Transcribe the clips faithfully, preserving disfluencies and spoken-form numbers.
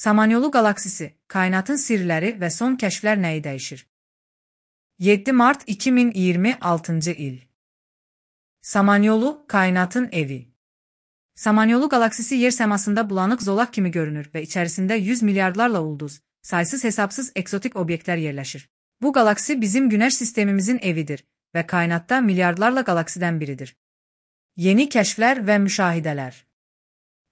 Samanyolu qalaksisi, kainatın sirləri və son kəşflər nəyi dəyişir? yeddi mart iki min iyirmi altıncı il. Samanyolu, kainatın evi. Samanyolu qalaksisi yer səmasında bulanıq zolaq kimi görünür və içərisində yüz milyardlarla ulduz, saysız hesabsız eksotik obyektlər yerləşir. Bu qalaksi bizim Günəş sistemimizin evidir və kainatda milyardlarla qalaksidən biridir. Yeni kəşflər və müşahidələr.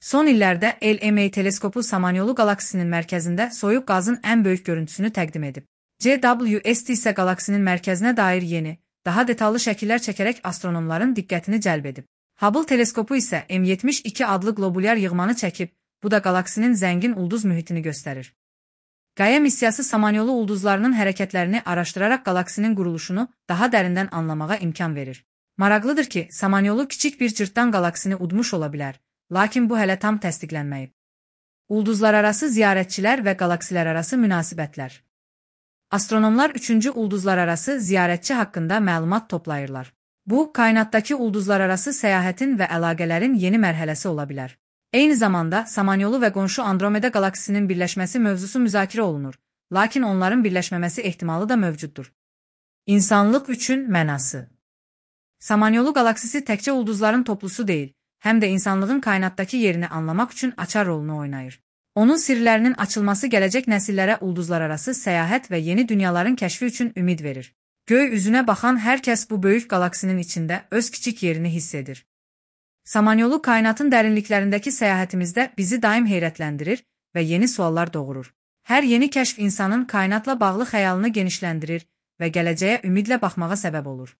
Son illərdə L M A teleskopu Samanyolu qalaksisinin mərkəzində soyuq qazın ən böyük görüntüsünü təqdim edib. C W S T isə qalaksinin mərkəzinə dair yeni, daha detallı şəkillər çəkərək astronomların diqqətini cəlb edib. Hubble teleskopu isə M yetmiş iki adlı qlobulyar yığmanı çəkib, bu da qalaksinin zəngin ulduz mühitini göstərir. Gaia missiyası Samanyolu ulduzlarının hərəkətlərini araşdıraraq qalaksinin quruluşunu daha dərindən anlamağa imkan verir. Maraqlıdır ki, Samanyolu kiçik bir cırtdan qalaksini udmuş ola bilər, lakin bu hələ tam təsdiqlənməyib. Ulduzlararası ziyarətçilər və qalaksilərarası münasibətlər. Astronomlar üçüncü ulduzlararası ziyarətçi haqqında məlumat toplayırlar. Bu, kainatdakı ulduzlararası səyahətin və əlaqələrin yeni mərhələsi ola bilər. Eyni zamanda, Samanyolu və qonşu Andromeda qalaksisinin birləşməsi mövzusu müzakirə olunur, lakin onların birləşməməsi ehtimalı da mövcuddur. İnsanlıq üçün mənası. Samanyolu qalaksisi təkcə ulduzların toplusu deyil, həm də insanlığın kainatdakı yerini anlamaq üçün açar rolunu oynayır. Onun sirlərinin açılması gələcək nəsillərə ulduzlararası səyahət və yeni dünyaların kəşfi üçün ümid verir. Göy üzünə baxan hər kəs bu böyük qalaksinin içində öz kiçik yerini hiss edir. Samanyolu kainatın dərinliklərindəki səyahətimizdə bizi daim heyrətləndirir və yeni suallar doğurur. Hər yeni kəşf insanın kainatla bağlı xəyalını genişləndirir və gələcəyə ümidlə baxmağa səbəb olur.